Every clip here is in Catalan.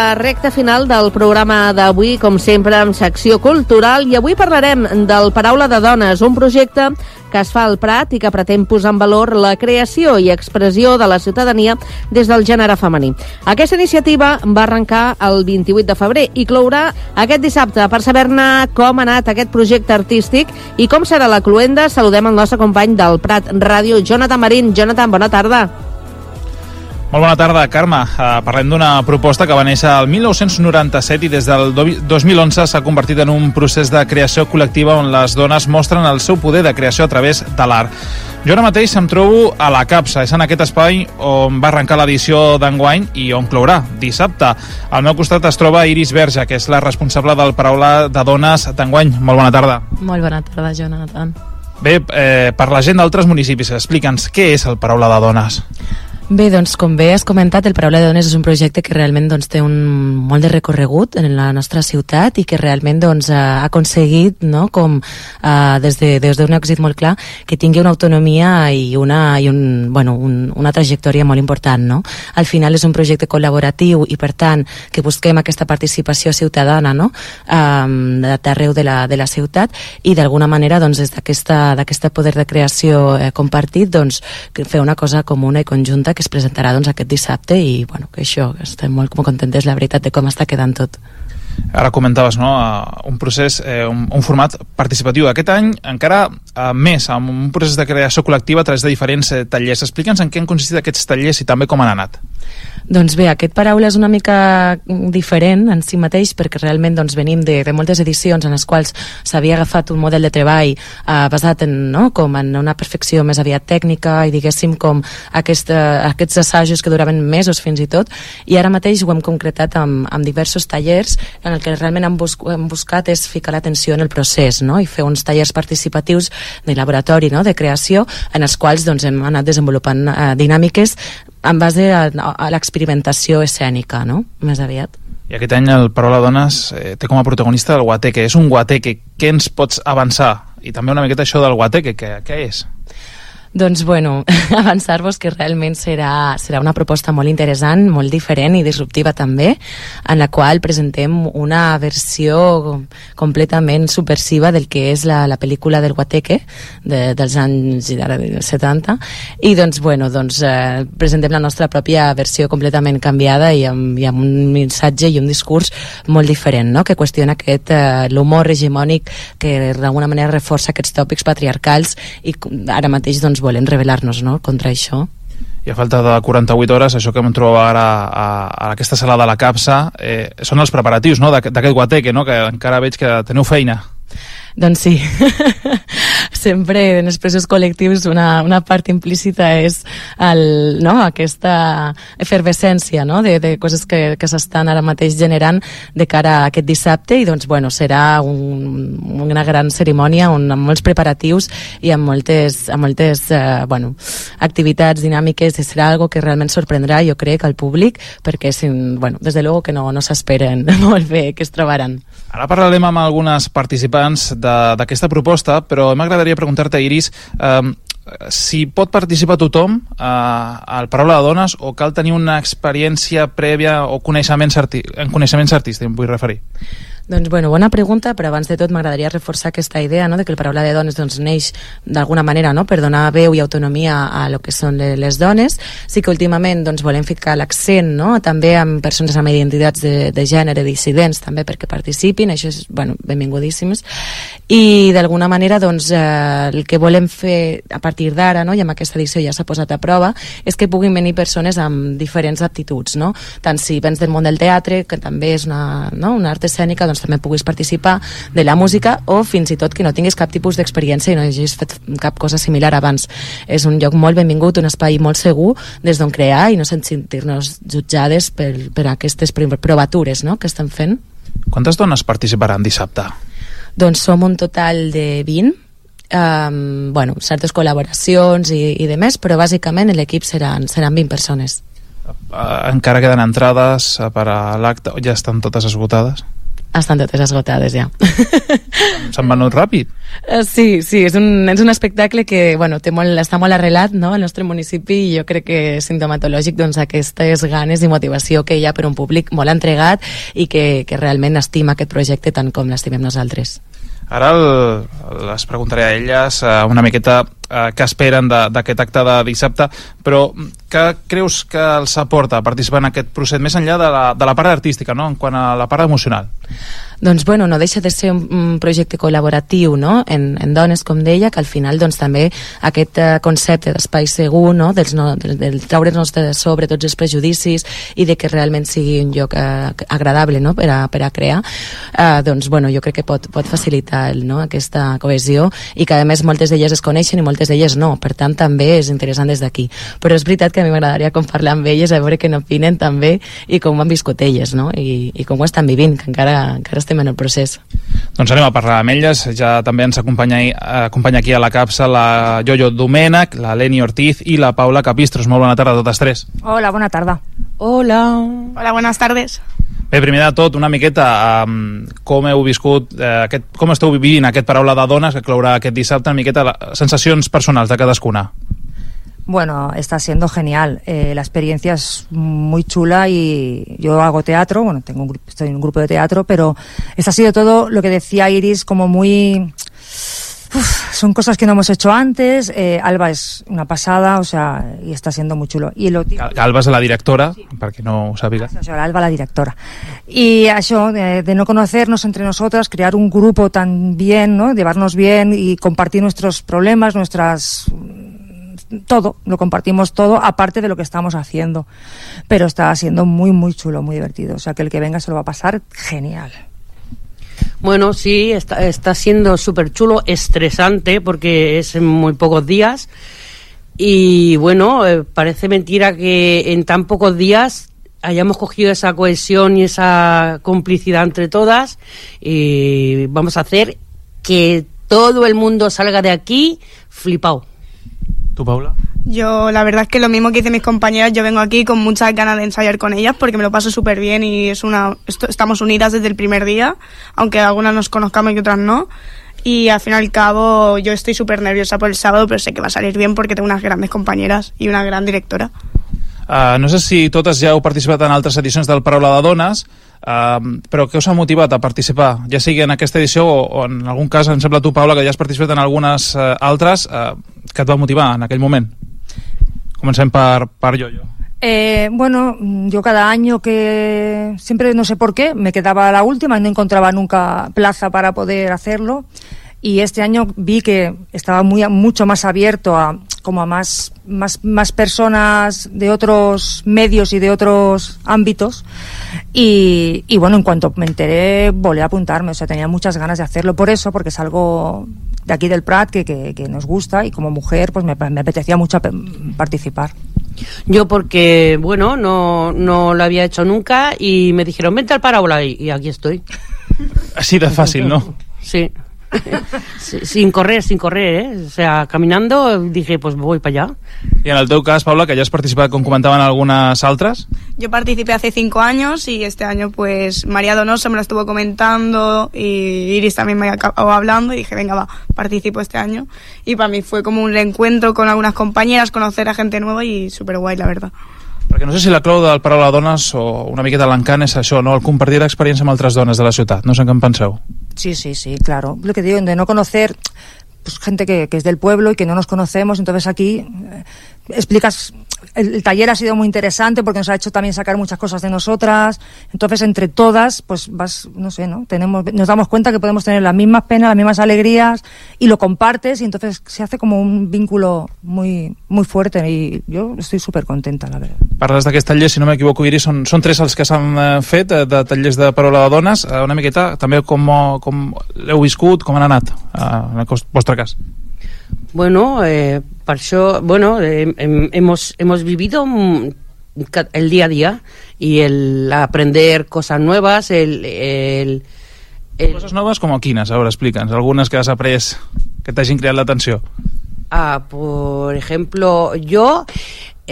la recta final del programa d'avui, com sempre, amb secció cultural, i avui parlarem del Paraula de Dones, un projecte que es fa al Prat i que pretén posar en valor la creació i expressió de la ciutadania des del gènere femení. Aquesta iniciativa va arrencar el 28 de febrer i clourà aquest dissabte. Per saber-ne com ha anat aquest projecte artístic i com serà la cloenda, saludem el nostre company del Prat Ràdio, Jonathan Marín. Jonathan, bona tarda. Molt bona tarda, Carme. Parlem d'una proposta que va néixer el 1997 i des del 2011 s'ha convertit en un procés de creació col·lectiva on les dones mostren el seu poder de creació a través de l'art. Jo ara mateix em trobo a la Capsa, és en aquest espai on va arrencar l'edició d'enguany i on clourà dissabte. Al meu costat es troba Iris Verge, que és la responsable del Paraula de Dones d'enguany. Molt bona tarda. Molt bona tarda, Jonathan. Bé, per la gent d'altres municipis, explica'ns què és el Paraula de Dones. Bé, doncs, com bé has comentat, el Paraula de Dones és un projecte que realment té molt de recorregut en la nostra ciutat i que realment ha aconseguit, no, com des d'un èxit molt clar, que tingui una autonomia i una trajectòria molt important, no? Al final és un projecte col·laboratiu i, per tant, que busquem aquesta participació ciutadana, no, d'arreu de la ciutat i, d'alguna manera, des d'aquest poder de creació compartit, fer una cosa comuna i conjunta que es presentarà aquest dissabte i que això, estem molt contentes, la veritat, de com està quedant tot. Ara comentaves, no?, un procés, un format participatiu. Aquest any encara més, amb un procés de creació col·lectiva a través de diferents tallers. Explica'ns en què han consistit aquests tallers i també com han anat. Doncs bé, aquest Paraula és una mica diferent en si mateix perquè realment venim de moltes edicions en les quals s'havia agafat un model de treball basat en una perfecció més aviat tècnica i diguéssim com aquests assajos que duraven mesos fins i tot, i ara mateix ho hem concretat amb diversos tallers en el que realment hem buscat és ficar l'atenció en el procés, no?, i fer uns tallers participatius de laboratori, no?, de creació, en els quals hem anat desenvolupant dinàmiques en base a l'experimentació escènica, no?, més aviat. I aquest any el Paraula Dones té com a protagonista el guateque. És un guateque. Què ens pots avançar? I també una miqueta això del guateque, què és? Doncs, avançar-vos que realment serà una proposta molt interessant, molt diferent i disruptiva també, en la qual presentem una versió completament subversiva del que és la pel·lícula del Guateque dels anys 70 i presentem la nostra pròpia versió completament canviada i amb un missatge i un discurs molt diferent, no?, que qüestiona l'humor hegemònic que d'alguna manera reforça aquests tòpics patriarcals i ara mateix volem rebel·lar-nos, no?, contra això. I a falta de 48 hores, això que em trobo ara a aquesta sala de la Capsa, són els preparatius, no?, d'aquest guateque, no?, que encara veig que teniu feina. Doncs sí, sempre en els processos col·lectius una part implícita és aquesta efervescència, no?, de coses que s'estan ara mateix generant de cara a aquest dissabte i serà una gran cerimònia amb molts preparatius i amb moltes activitats dinàmiques i serà algo que realment sorprendrà, jo crec, al públic perquè des de luego que no s'esperen molt bé que es trobaran. Ara parlarem amb algunes participants d'aquesta proposta, però m'agradaria preguntar-te, Iris, si pot participar tothom al Paraula de Dones o cal tenir una experiència prèvia o coneixements artístics, em vull referir? Doncs, bona pregunta, però abans de tot m'agradaria reforçar aquesta idea, no?, de que el Paraula de Dones neix d'alguna manera, no?, per donar veu i autonomia a lo que són les dones. Sí que últimament volem ficar l'accent, no?, també amb persones amb identitats de gènere dissidents també perquè participin, això és, benvingutíssims. I d'alguna manera el que volem fer a partir d'ara, no?, i amb aquesta edició ja s'ha posat a prova, és que puguin venir persones amb diferents aptituds, no?, tant si vens del món del teatre, que també és una art escènica, també puguis participar de la música o fins i tot que no tinguis cap tipus d'experiència i no hagis fet cap cosa similar abans. És un lloc molt benvingut, un espai molt segur des d'on crear i no sentir-nos jutjades per aquestes provatures, no?, que estem fent. Quantes dones participaran dissabte? Doncs som un total de 20, certes col·laboracions i de més, però bàsicament l'equip seran 20 persones. Encara queden entrades per a l'acte, ja estan totes esgotades? Estan totes esgotades ja. S'han venut ràpid. Sí, és un espectacle que està molt arrelat, no?, al nostre municipi, i jo crec que és sintomatològic aquestes ganes i motivació que hi ha per un públic molt entregat i que realment estima aquest projecte tant com l'estimem nosaltres. Ara les preguntaré a elles una miqueta què esperen d'aquest acte de dissabte, però què creus que els aporta participar en aquest procés, més enllà de la part artística, no?, en quant a la part emocional? Doncs no deixa de ser un projecte col·laboratiu, no?, en dones, com deia, que al final també aquest concepte d'espai segur, no?, del treure'ns de sobre tots els prejudicis i de que realment sigui un lloc agradable, no?, per a crear, jo crec que pot facilitar, no?, aquesta cohesió, i que a més moltes d'elles es coneixen i moltes d'elles no, per tant també és interessant des d'aquí. Però és veritat que a mi m'agradaria parlar amb elles, a veure què n'opinen també i com ho han viscut elles, no?, i com ho estan vivint, que encara estem en el procés. Doncs anem a parlar amb elles. Ja també ens acompanya aquí a la capsa la Yoyo Domènech, la Leni Ortiz i la Paula Capistros. Molt bona tarda a totes tres. Hola, bona tarda. Hola, buenas tardes. Bé, primer de tot, una miqueta com heu viscut, com esteu vivint aquest Paraula de Dones que clourà aquest dissabte, una miqueta sensacions personals de cadascuna. Bueno, está siendo genial. La experiencia es muy chula y yo hago teatro, estoy en un grupo de teatro, pero esto ha sido todo lo que decía Iris, como muy... son cosas que no hemos hecho antes. Alba es una pasada, y está siendo muy chulo. Alba és la directora, sí, perquè no ho sàpiga. Alba, la directora. Y eso, de no conocernos entre nosotras, crear un grupo tan bien, ¿no?, llevarnos bien y compartir nuestros problemas, todo, lo compartimos todo, aparte de lo que estamos haciendo. Pero está siendo muy, muy chulo, muy divertido. O sea, que el que venga se lo va a pasar genial. Bueno, sí, está siendo súper chulo, estresante, porque es en muy pocos días. Y bueno, parece mentira que en tan pocos días hayamos cogido esa cohesión y esa complicidad entre todas. Y vamos a hacer que todo el mundo salga de aquí flipado. ¿Tú, Paula? Yo, la verdad es que lo mismo que dicen mis compañeras, yo vengo aquí con muchas ganas de ensayar con ellas porque me lo paso súper bien y estamos unidas desde el primer día, aunque algunas nos conozcamos y otras no. Y al fin y al cabo yo estoy súper nerviosa por el sábado, pero sé que va a salir bien porque tengo unas grandes compañeras y una gran directora. No sé si totes ja heu participat en altres edicions del Paraula de Dones, però què us ha motivat a participar, ja sigui en aquesta edició o en algun cas, em sembla tu, Paula, que ja has participat en algunes altres, que et va motivar en aquell moment? Comencem per Yoyo. Yo cada año que siempre, no sé por qué, me quedaba la última y no encontraba nunca plaza para poder hacerlo, y este año vi que estaba mucho más abierto a más personas de otros medios y de otros ámbitos, y bueno, en cuanto me enteré volví a apuntarme, tenía muchas ganas de hacerlo porque es algo de aquí del Prat que nos gusta, y como mujer pues me apetecía mucho participar. Yo porque, bueno, no lo había hecho nunca y me dijeron, vente al Paraula, y aquí estoy. Así de fácil, ¿no? Sí. Sin correr, O sea, caminando dije, pues voy para allá. I en el teu cas, Paula, que ja has participat, com comentaven, algunes altres? Yo participé hace 5 años y este año pues María Donoso me lo estuvo comentando y Iris también me acabó hablando y dije, venga, va, participo este año. Y para mí fue como un reencuentro con algunas compañeras, conocer a gente nueva y súper guay, la verdad. Perquè no sé si la clau del Paraula de Dones o una miqueta l'encant és això, no? El compartir l'experiència amb altres dones de la ciutat. No sé què en penseu. Sí, claro. Lo que digo, de no conocer pues gente que es del pueblo y que no nos conocemos, entonces aquí explicas... El taller ha sido muy interesante porque nos ha hecho también sacar muchas cosas de nosotras, entonces entre todas pues nos damos cuenta que podemos tener las mismas penas, las mismas alegrías, y lo compartes, y entonces se hace como un vínculo muy, muy fuerte, y yo estoy súper contenta, la verdad. Parles d'aquest taller, si no m'equivoco, Iris, són 3 els que s'han fet de tallers de Paraula de Dones. Una miqueta també com l'heu viscut, com han anat en el vostre cas. Bueno, per això, hemos vivido el día a día y el aprender cosas nuevas, Coses noves com quines? Ahora explícanos, algunes que has après que t'hagin creat l'atenció. Por ejemplo, yo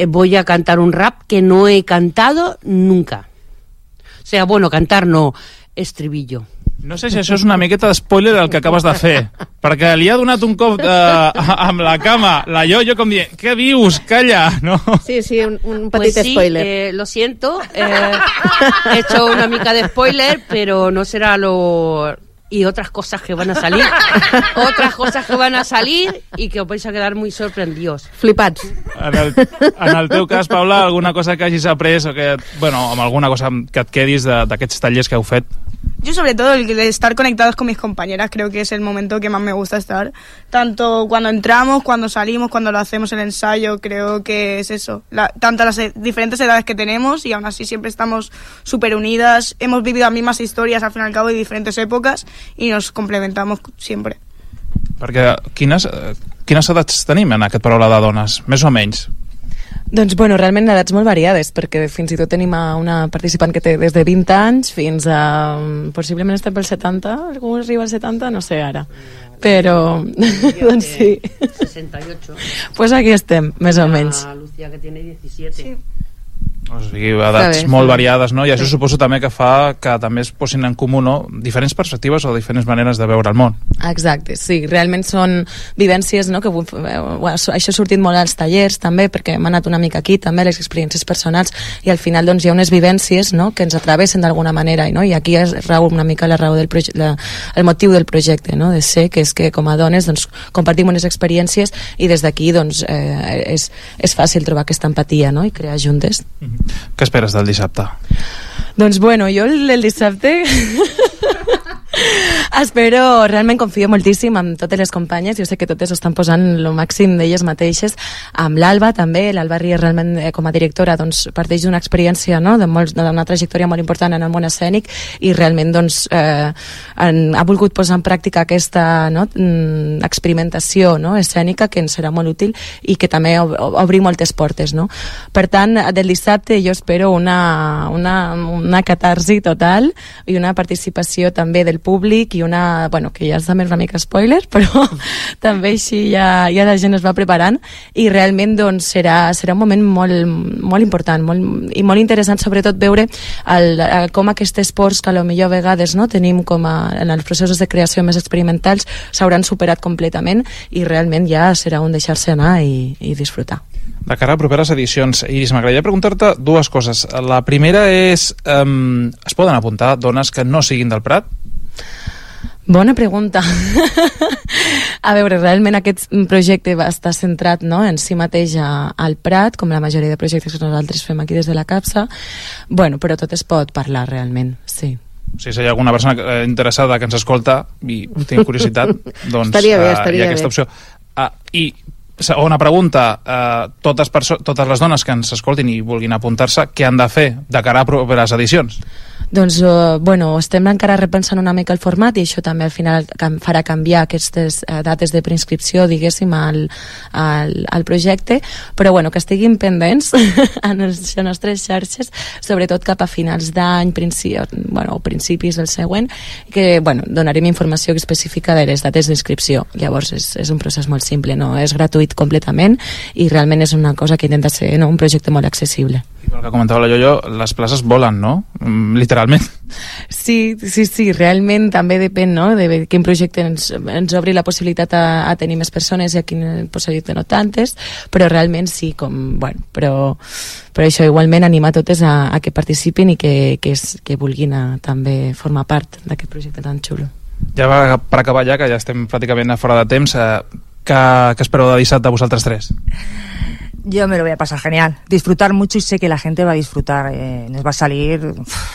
voy a cantar un rap que no he cantado nunca. O sea, bueno, cantar no, estribillo. No sé si això és una miqueta d'espoiler del que acabes de fer, perquè li ha donat un cop amb la cama, la Yoyo, com dient, què dius? Calla, ¿no? Sí, un petit spoiler. Lo siento, he hecho una mica de spoiler, pero no será lo... Y otras cosas que van a salir, y que os vais a quedar muy sorprendidos. Flipats. En el teu cas, Paula, alguna cosa que hagis après o que, bueno, amb alguna cosa que et quedis d'aquests tallers que heu fet? Yo sobre todo el de estar conectados con mis compañeras, creo que es el momento que más me gusta estar, tanto cuando entramos, cuando salimos, cuando lo hacemos el ensayo, creo que es eso, tanto las diferentes edades que tenemos y aún así siempre estamos súper unidas, hemos vivido las mismas historias al fin y al cabo de diferentes épocas y nos complementamos siempre. Perquè quines edats tenim en aquest Paraula de Dones, més o menys? Doncs, bueno, realment edats molt variades, perquè fins i tot tenim una participant que té des de 20 anys fins a... possiblement estem pel 70, algú arriba al 70, no sé ara. Però, doncs sí. 68. Pues aquí estem, més o menys. Lucía, que tiene 17. Sí. O sigui, edats molt variades, no? I això suposo també que fa que també es posin en comú, no?, diferents perspectives o diferents maneres de veure el món. Exacte, sí, realment són vivències, no?, que això ha sortit molt als tallers també, perquè hem anat una mica aquí també, les experiències personals, i al final doncs hi ha unes vivències, no?, que ens atravessen d'alguna manera, no? I aquí es rau una mica la raó del el motiu del projecte, no?, de ser, que és que com a dones doncs compartim unes experiències i des d'aquí doncs és fàcil trobar aquesta empatia, no?, i crear juntes. Què esperes del dissabte? Doncs bueno, jo el dissabte espero, realment confio moltíssim en totes les companyes, jo sé que totes estan posant el màxim d'elles mateixes, amb l'Alba també, l'Alba Ries realment com a directora doncs parteix d'una experiència, no?, d'una trajectòria molt important en el món escènic i realment doncs ha volgut posar en pràctica aquesta, no?, experimentació, no?, escènica que ens serà molt útil i que també obri moltes portes, no? Per tant, del dissabte jo espero una catarsi total i una participació també del públic i una, bueno, que ja és també una mica spoiler, però també així ja la gent es va preparant i realment doncs serà un moment molt important i molt interessant, sobretot veure com aquests esports que potser a vegades no tenim com en els processos de creació més experimentals s'hauran superat completament i realment ja serà un deixar-se anar i disfrutar. De cara a properes edicions, Iris, m'agradaria preguntar-te dues coses. La primera és, es poden apuntar dones que no siguin del Prat? Bona pregunta. A veure, realment aquest projecte va estar centrat, no?, en si mateix al Prat, com la majoria de projectes que nosaltres fem aquí des de la CAPSA. Bueno, però tot es pot parlar realment, sí. Si hi ha alguna persona interessada que ens escolta i té curiositat, doncs estaria bé, hi ha aquesta opció. I segona pregunta, totes les dones que ens escoltin i vulguin apuntar-se, què han de fer de cara a properes edicions? Doncs, bueno, estem encara repensant una mica el format i això també al final farà canviar aquestes dates de preinscripció, diguéssim, al projecte, però bueno, que estiguin pendents en les nostres xarxes, sobretot cap a finals d'any, o principis del següent, que, bueno, donarem informació específica de les dates d'inscripció. Llavors és un procés molt simple, no és gratuït completament i realment és una cosa que intenta ser, no?, un projecte molt accessible. I pel que comentava la Yoyo, les places volen, no? Literalment. Sí, realment també depèn, no?, de quin projecte ens obri la possibilitat a tenir més persones i a quin projecte no tantes, però realment sí, però això igualment anima totes a que participin i que vulguin també formar part d'aquest projecte tan xulo. Ja va per acabar ja, que ja estem pràcticament a fora de temps, què espereu de dissabte vosaltres tres? Yo me lo voy a pasar genial, disfrutar mucho y sé que la gente va a disfrutar, nos va a salir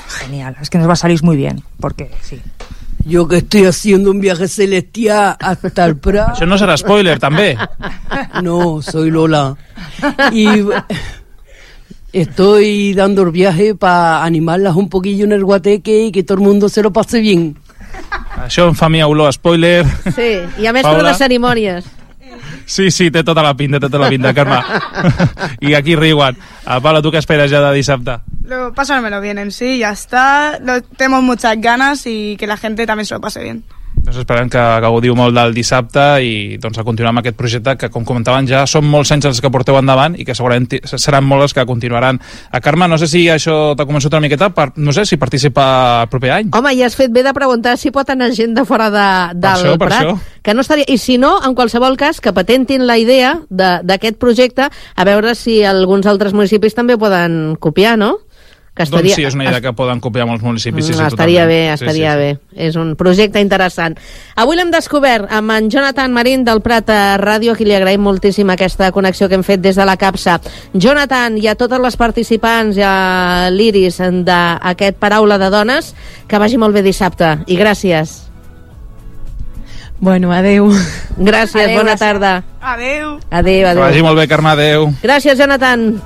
genial, es que nos va a salir muy bien, porque sí. Yo que estoy haciendo un viaje celestial hasta el Prat. Això no serà spoiler, també? No, soy Lola. Y estoy dando el viaje para animarlas un poquillo en el guateque y que todo el mundo se lo pase bien. Això em fa a mi olor a spoiler. Sí, i a més Paula. per les cerimònies. Sí, té tota la pinta, Carme. I aquí riuen. Paula, ¿tú qué esperas ya de dissabte? Pasármelo bien en sí, ya está. Tenemos muchas ganas y que la gente también se lo pase bien. Doncs esperem que gaudiu molt del dissabte i doncs, a continuar amb aquest projecte que, com comentaven, ja són molts anys els que porteu endavant i que segurament seran molts els que continuaran. Carme, no sé si això t'ha convençut una miqueta, no sé si participa el proper any. Home, i has fet bé de preguntar si pot anar gent de fora del Prat. Això. Que no estaria... I si no, en qualsevol cas, que patentin la idea d'aquest projecte, a veure si alguns altres municipis també poden copiar, no? Doncs sí, és una idea que poden copiar molts municipis. Sí, estaria bé. És un projecte interessant. Avui l'hem descobert amb en Jonathan Marín del Prat Ràdio, a qui li agraïm moltíssim aquesta connexió que hem fet des de la capsa. Jonathan, i a totes les participants, i a l'Iris d'aquest Paraula de Dones, que vagi molt bé dissabte. I gràcies. Bueno, adeu. Gràcies, bona tarda. Adeu. Adeu. Que vagi molt bé, Carme, adeu. Gràcies, Jonathan.